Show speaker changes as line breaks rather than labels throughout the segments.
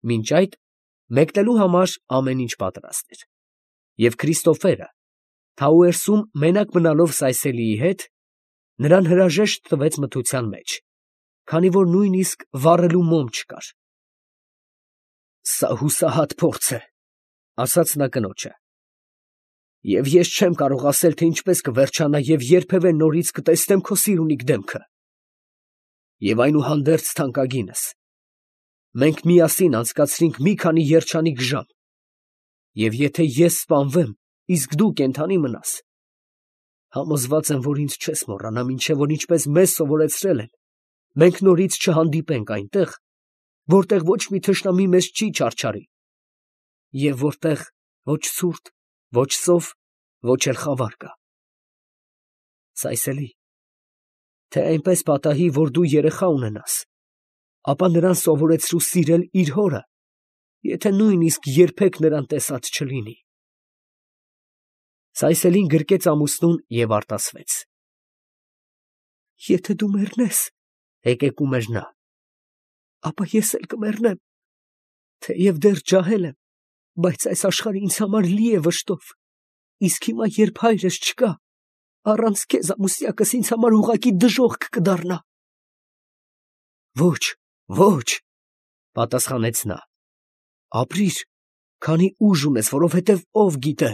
Մինչ այդ մեկնելու համար ամեն ինչ պատրաստ էր, և Քրիստոֆերը, Թաուերսում մենակ մնալով Սայսելիի հետ, նրան հրաժեշտ տվեց մթության մեջ, քանի որ նույնիսկ վառելու մոմ չկար։ ֊ Սա հուսահատ փորձ է, ֊ ասաց նա կնոջը, ֊ և ես չեմ կարող ասել, թե ինչպես կվերջանա և երբևէ նորից կտեսնեմ քո սիրունիկ դեմքը։ Եվ այնուհանդերձ թանկագինս, մենք միասին անցկացրինք մի քանի երջանիկ ժամ, և եթե ես սպանվեմ, իսկ դու կենդանի մնաս, համոզված եմ, որ ինձ չես մոռանա, մինչև որ ինչպես մեզ սովորեցրել են, մենք նորից չհանդիպենք այնտեղ, որտեղ ոչ մի թշնամի մեզ չի չարչարի, և որտեղ ոչ ցուրտ, ոչ սով, ոչ էլ խավար կա։ Սայսելի, թե այնպես պատահի, որ դու երեխա ունենաս, ապա նրան սովորեցրու սիրել իր հորը, եթե նույնիսկ երբեք նրան տեսած չլինի։ Սայսելին գրկեց ամուսնուն և արտասվեց։ Եթե դու մեռնես, հեկեկում էր նա, ապա ես էլ կմեռնեմ, թեև դեռ ջահել եմ, բայց այս աշխարհը ինձ համար լի է վշտով, իսկ հիմա, երբ հայրս չկա, առանց քեզ ամուսնյակս ինձ համար ուղղակի դժոխք կդառնա։ Ոչ, ոչ, պատասխանեց նա, ապրիր, քանի ուժ ունես, որովհետև ով գիտե,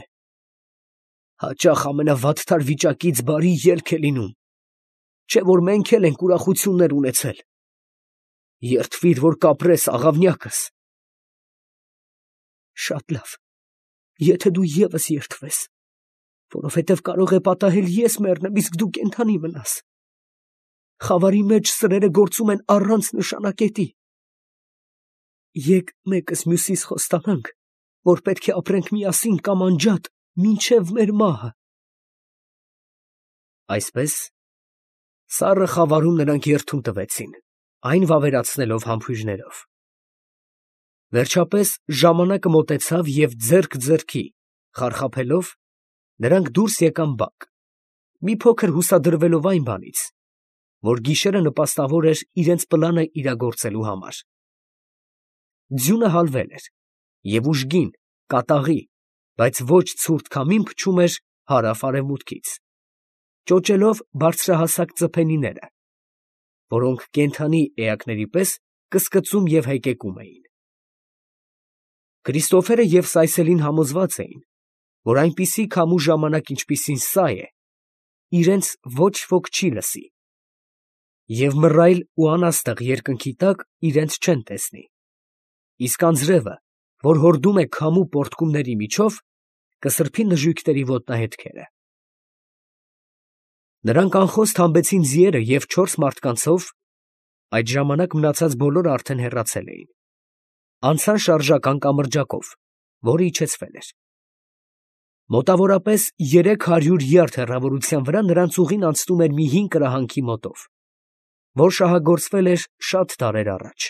հաճախ ամենավատթար վիճակից բարի ելք է լինում, չէ՞ որ մենք էլ ենք ուրախություններ ունեցել։ Երդվիր, որ կապրես, աղավնյակս։ Շատ լավ, եթե դու ևս երդվես, որովհետև կարող է պատահել ես մեռնեմ, իսկ դու կենդանի մնաս։ Խավարի մեջ սրերը գործում են առանց նշանակետի։ Եկ մեկս մյուսիս խոստանանք, որ պետք է ապրենք միասին կամ անջատ մինչև մեր մահը։ Այսպես, սառը խավարում նրանք երդում տվեցին, այն վավերացնելով համբույրներով։ Վերջապես ժամանակը մոտեցավ, և ձեռք ձեռքի խարխափելով, նրանք դուրս եկան բակ, մի փոքր հուսադրվելով այն բանից, որ գիշերը նպաստավոր էր իրենց պլանը իրագործելու համար։ Ձյունը հալվել էր, և ուժգին, կատաղի, բայց ոչ ցուրտ քամին փչում էր հարավ֊արևմուտքից, ճոճելով բարձրահասակ ծփենիները, որոնք կենդանի էակների պես կսկծում և հեկեկում էին։ Քրիստոֆերը և Սայսելին համոզված էին, որ այնպիսի քամու ժամանակ, ինչպիսին սա է, իրենց ոչ ոք չի լսի, և մռայլ ու անաստեղ երկնքի տակ իրենց չեն տեսնի, իսկ անձրևը, որ հորդում է քամու պոռթկումների միջով, կսրբի նժույգների ոտնահետքերը։ Նրանք անխոստ հանբեցին ձիերը և 4 մարդկանցով (այդ ժամանակ մնացած բոլորը արդեն հեռացել էին) անցան շարժական կամրջակով, որը իջեցվել էր։ Մոտավորապես 300 յարդ հեռավորության վրա նրանց ուղին անցնում էր մի հին կրահանքի մոտով, որ շահագործվել էր շատ դարեր առաջ։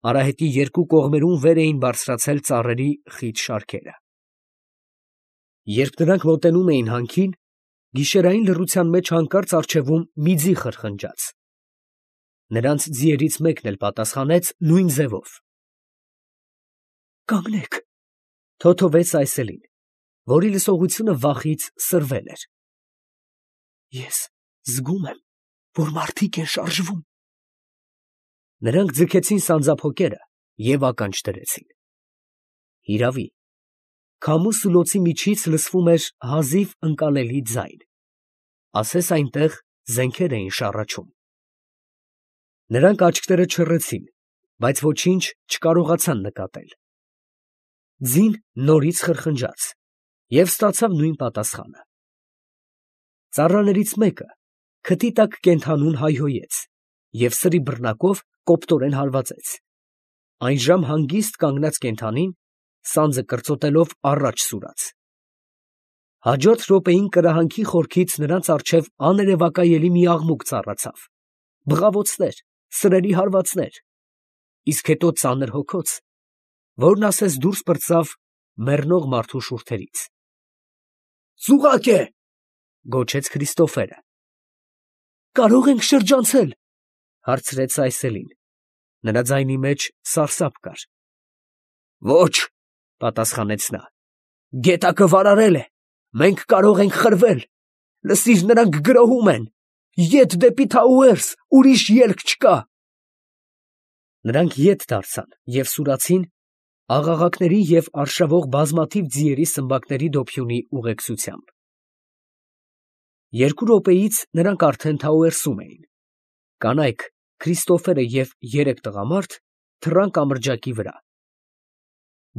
Արահետի երկու կողմերում վեր էին բարձրացել ծառերի խիտ շարքերը։ Երբ նրանք մոտենում էին հանքին, գիշերային լռության մեջ հանկարծ առջևում մի ձի խրխնջաց։ Նրանց ձիերից մեկն էլ պատասխանեց նույն ձևով։ «Կանգնեք», ֊ թոթվեց Սայսելին, որի լսողությունը վախից սրվել էր։ «Ես զգում եմ, որ մարդիկ են շարժվում»։ Նրանք ձգեցին սանձափոկերը և ականջ դրեցին։ Հիրավի, քամու սուլոցի միջից լսվում էր հազիվ ընկալելի ձայն, ասես այնտեղ զենքեր էին շառաչում։ Նրանք աչքերը չռեցին, բայց ոչինչ չկարողացան նկատել։ Ձին նորից խրխնջաց և ստացավ նույն պատասխանը։ Ծառաներից մեկը քթի տակ կենդանուն հայհոյեց և սրի բռնակով կոպտորեն հարվածեց։ Այնժամ հանգիստ կանգնած կենդանին, սանձը կրծոտելով, առաջ սուրաց։ Հաջորդ րոպեին կրահանքի խորքից նրանց առջև աներևակայելի մի աղմուկ ծառացավ, բղավոցներ, սրերի հարվածներ, իսկ հետո ծանր հոգոց, որն ասես դուրս պրծավ մեռնող մարդու շուրթերից։ «Ծուղակ է», ֊ գոչեց Քրիստոֆերը։ «Կարո՞ղ ենք շրջանցել», ֊ հարցրեց Սայսելին։ Նրա ձայնի մեջ սարսափ կար։ Ոչ, պատասխանեց նա, գետակը վարարել է, մենք կարող ենք խրվել, լսիր, նրանք գրոհում են, ետ դեպի Թաուերս, ուրիշ ելք չկա։ Նրանք ետ դարձան և սուրացին աղաղակների և արշավող բազմաթիվ ձիերի սմբակների դոփյունի ուղեկցությամբ։ 2 րոպեից նրանք արդեն Թաուերսում էին։ Կանայք, Քրիստոֆերը և 3 տղամարդ թռան կամրջակի վրա։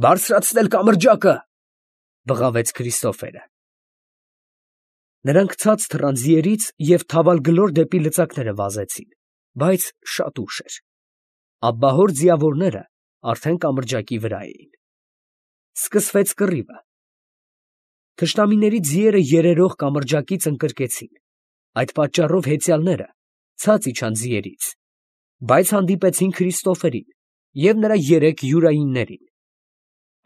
Բարձրացնել կամրջակը, բղավեց Քրիստոֆերը։ Նրանք ցած թռան ձիերից և թավալգլոր դեպի լծակները վազեցին, բայց շատ ուշ էր։ Աբբահոր ձիավորները արդեն կամրջակի վրա էին։ Սկսվեց կռիվը։ Թշնամիների ձիերը երերող կամրջակից ընկրկեցին։ Այդ պատճառով հեծյալները ցած իջան ձիերից, բայց հանդիպեցին Քրիստոֆերին և նրա 3 յուրայիններին։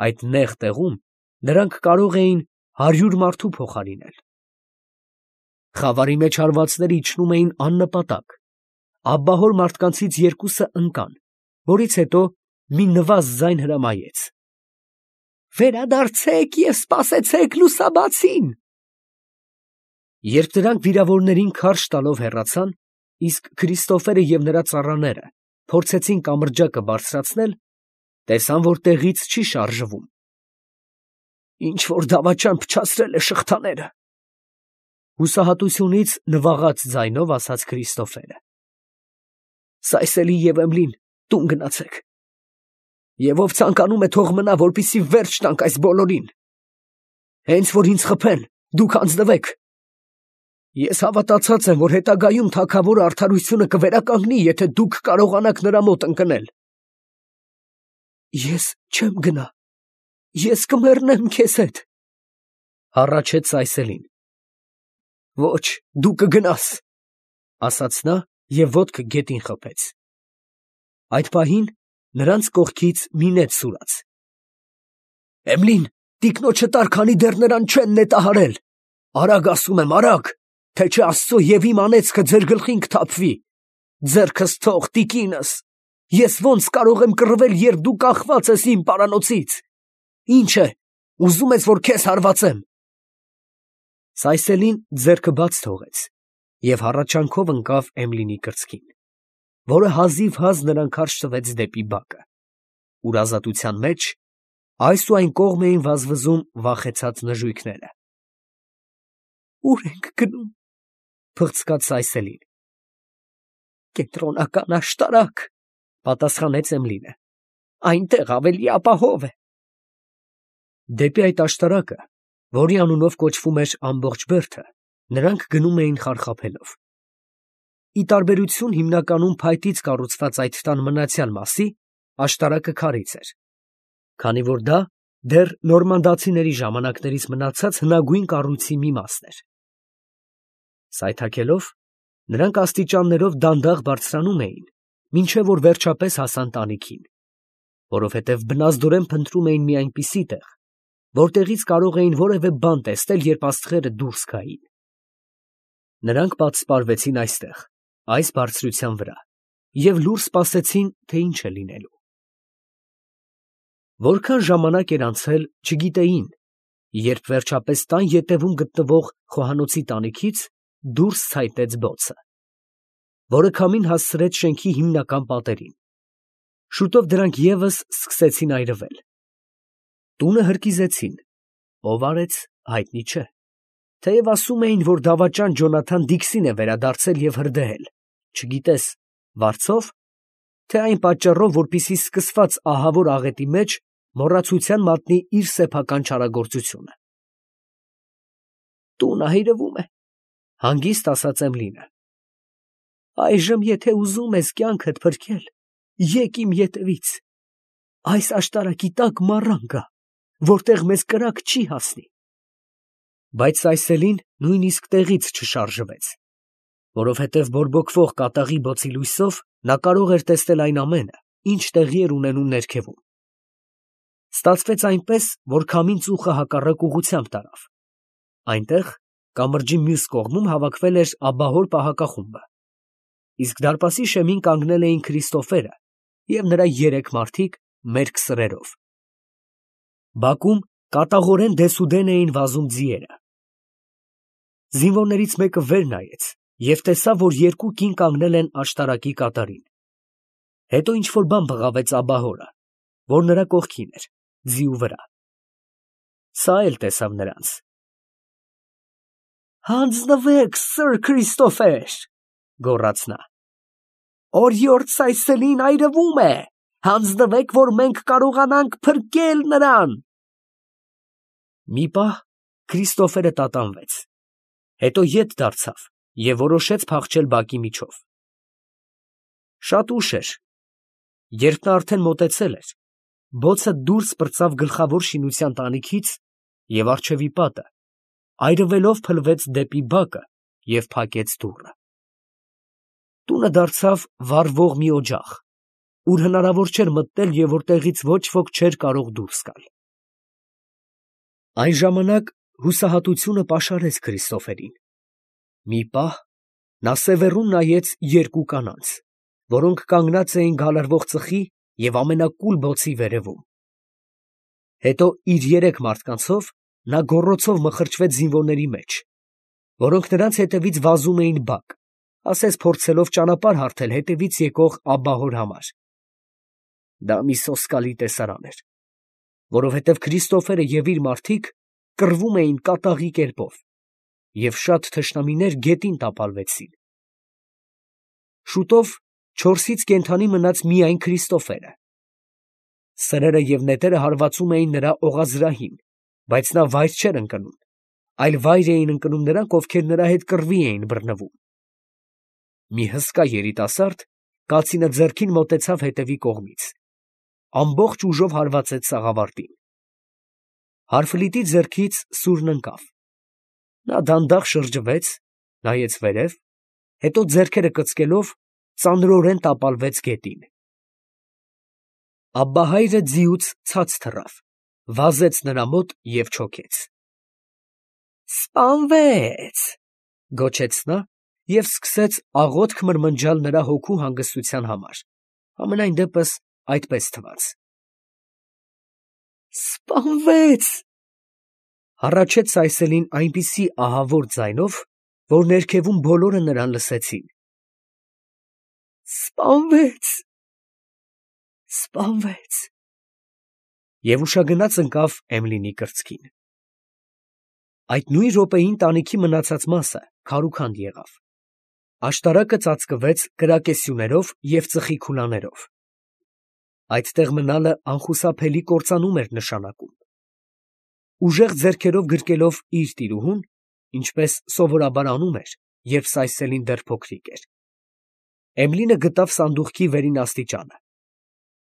Այդ նեղ տեղում նրանք կարող էին 100 մարդու փոխարինել։ Խավարի մեջ հարվածները իջնում էին աննպատակ։ Աբբահոր մարդկանցից 2-ը ընկան, որից հետո մի նվազ ձայն հրամայեց. «Վերադարձեք և սպասեցեք լուսաբացին»։ Երբ դրանք վիրավորներին քարշ տալով հեռացան, իսկ Քրիստոֆերը և նրա ծառաները փորձեցին կամրջակը բարձրացնել, տեսան, որ տեղից չի շարժվում։ Ինչ-որ դավաճան փչացրել է շղթաները, հուսահատությունից նվաղած ձայնով ասաց Քրիստոֆերը։ Սայսելի և Էմլին տուն գնացեք։ Եվ ով ցանկանում է, թող մնա, որպեսզի վերջ տանք այս բոլորին։ Հենց որ ինձ խփեն, դուք հանձնվեք։ Ես հավատացած եմ, որ հետագայում թագավորը արդարությունը կվերականգնի, եթե դուք կարողանաք նրա մոտ ընկնել։ Ես չեմ գնա, ես կմեռնեմ քեզ հետ, հառաչեց Սայսելին։ Ոչ, դու կգնաս, ասաց նա և ոտքը գետին խփեց։ Այդ պահին նրանց կողքից մի նետ սուրաց։ Էմլին, տիկնոջը տար, քանի դեռ նրան չեն նետահարել։ Արագ ասում եմ, արագ, թե չէ Աստծո և իմ անեծքը ձեր գլխին կթափվի։ Ձեռքս թող, տիկինս, ես ո՞նց կարող եմ կռվել, երբ դու կախված ես իմ պարանոցից։ Ինչ է, ուզում ես, որ քեզ հարվածեմ։ Սայսելին ձեռքը բաց թողեց և հառաչանքով ընկավ Էմլինի կրծքին, որը հազիվհազ նրան քարշ տվեց դեպի բակը, ուր ազատության մեջ այս ու այն կողմ էին վազվզում վախեցած նժույգները։ Ո՞ւր ենք գնում, փղցկաց Սայսելին։ Կենտրոնական աշտարակ, պատասխանեց Էմլինը, այնտեղ ավելի ապահով է։ Դեպի այդ աշտարակը, որի անունով կոչվում էր ամբողջ բերդը, նրանք գնում էին խարխափելով։ Ի տարբերություն հիմնականում փայտից կառուցված այդ տան մնացյալ մասի, աշտարակը քարից էր, քանի որ դա դեռ նորմանդացիների ժամանակներից մնացած հնագույն կառույցի մի մասն էր։ Սայթաքելով, նրանք աստիճաններով դանդաղ բարձրանում էին, մինչև որ վերջապես հասան տանիքին, որովհետև բնազդորեն փնտրում էին մի այնպիսի տեղ, որտեղից կարող էին որևէ բան տեսնել, երբ աստղերը դուրս գային։ Նրանք պատսպարվեցին այստեղ, այս բարձրության վրա, և լուռ սպասեցին, թե ինչ է լինելու։ Որքան ժամանակ էր անցել, չգիտեին, երբ վերջապես տան ետևում գտնվող խոհանոցի տանիքից դուրս ցայտեց բոցը, որը քամին հասցրեց շենքի հիմնական պատերին։ Շուտով դրանք ևս սկսեցին այրվել։ Տունը հրկիզեցին, ով արեց, հայտնի չէ, թեև ասում էին, որ դավաճան Ջոնաթան Դիքսին է վերադարձել և հրդեհել, չգիտես վարձո՞վ, թե այն պատճառով, որպեսզի սկսված ահավոր աղետի մեջ մոռացության մատնի իր սեփական չարագործությունը։ Տունը այրվում է, հանգիստ ասաց Էմլինը։ Այժմ, եթե ուզում ես կյանքդ փրկել, եկ իմ ետևից։ Այս աշտարակի տակ մառան կա, որտեղ մեզ կրակ չի հասնի։ Բայց Սայսելին նույնիսկ տեղից չշարժվեց, որովհետև բորբոքվող կատաղի բոցի լույսով նա կարող էր տեսնել այն ամենը, ինչ տեղի էր ունենում ներքևում։ Ստացվեց այնպես, որ քամին ծուխը հակառակ ուղղությամբ տարավ։ Այնտեղ, կամրջի մյուս կողմում հավաքվել էր աբբահոր պահակախումբը, իսկ դարպասի շեմին կանգնել էին Քրիստոֆերը և նրա 3 մարդիկ մերկ սրերով։ Բակում կատաղորեն դեսուդեն էին վազում ձիերը։ Զինվորներից մեկը վեր նայեց և տեսավ, որ 2 կին կանգնել են աշտարակի կատարին։ Հետո ինչ֊որ բան բղավեց աբահորը, որ նրա կողքին էր, ձիու վրա։ Սա էլ տեսավ նրանց։ «Հանձնվեք, սըր Քրիստոֆեր, ֊ գոռաց նա, ֊ օրիորդ Սայսելին այրվում է, հանձնվեք, որ մենք կարողանանք փրկել նրան»։ Մի պահ Քրիստոֆերը տատանվեց, հետո ետ դարձավ և որոշեց փախչել բակի միջով։ Շատ ուշ էր, երբ նա արդեն մոտեցել էր, բոցը դուրս պրծավ գլխավոր շինության տանիքից և առջևի պատը, այրվելով փլվեց դեպի բակը և փակեց դուռը։ Տունը դարձավ վառվող մի օջախ, ուր հնարավոր չէր մտնել և որտեղից ոչ ոք չէր կարող դուրս գալ։ Այն ժամանակ հուսահատությունը պաշարեց Քրիստոֆերին։ Մի պահ նա սևեռուն նայեց 2 կանանց, որոնք կանգնած էին գալարվող ծխի և ամենակուլ բոցի վերևում։ Հետո իր 3 մարդկանցով նա գոռոցով մխրճվեց զինվորների մեջ, որոնք նրանց հետևից վազում էին բակ, ասես փորձելով ճանապարհ հարթել հետևից եկող աբահոր համար։ Դա մի սոսկալի տեսարան էր, որովհետև Քրիստոֆերը և իր մարդիկ կռվում էին կատաղի կերպով, և շատ թշնամիներ գետին տապալվեցին։ Շուտով 4-ից կենդանի մնաց միայն Քրիստոֆերը։ Սրերը և նետերը հարվածում էին նրա օղազրահին, բայց նա վայր չէր ընկնում, այլ վայր էին ընկնում նրանք, ովքեր նրա հետ կռվի էին բռնվում։ Մի հսկա երիտասարդ կացինը ձեռքին մոտեցավ հետևի կողմից, ամբողջ ուժով հարվածեց սաղավարտին։ Հարֆլիտի ձեռքից սուրն ընկավ։ Նա դանդաղ շրջվեց, նայեց վերև, հետո ձեռքերը կծկելով ծանրորեն տապալվեց գետին։ Աբբահայրը ձիուց ցած թռավ, վազեց նրա մոտ և չոքեց։ «Սպանվեց, ֊ գոչեց նա և սկսեց աղոթք մրմնջալ նրա հոգու հանգստության համար, համենայն դեպս այդպես թվաց։ Սպանվեց, ֊ հառաչեց Սայսելին այնպիսի ահավոր ձայնով, որ ներքևում բոլորը նրան լսեցին։ Սպանվեց, սպանվեց… Եվ ուշագնաց ընկավ Էմլինի կրծքին։ Այդ նույն րոպեին տանիքի մնացած մասը քարուքանդ եղավ։ Աշտարակը ծածկվեց կրակեսյուներով և ծխի քուլաներով։ Այդտեղ մնալը անխուսափելի կործանում էր նշանակում։ Ուժեղ ձեռքերով գրկելով իր տիրուհուն, ինչպես սովորաբար անում էր, երբ Սայսելին դեռ փոքրիկ էր, Էմլինը գտավ սանդուղքի վերին աստիճանը,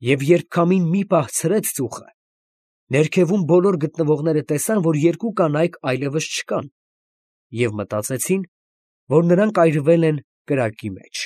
և երբ քամին մի պահ ցրեց ծուխը, ներքևում բոլոր գտնվողները տեսան, որ 2 կանայք այլևս չկան, և մտածեցին, որ նրանք այրվել են կրակի մեջ։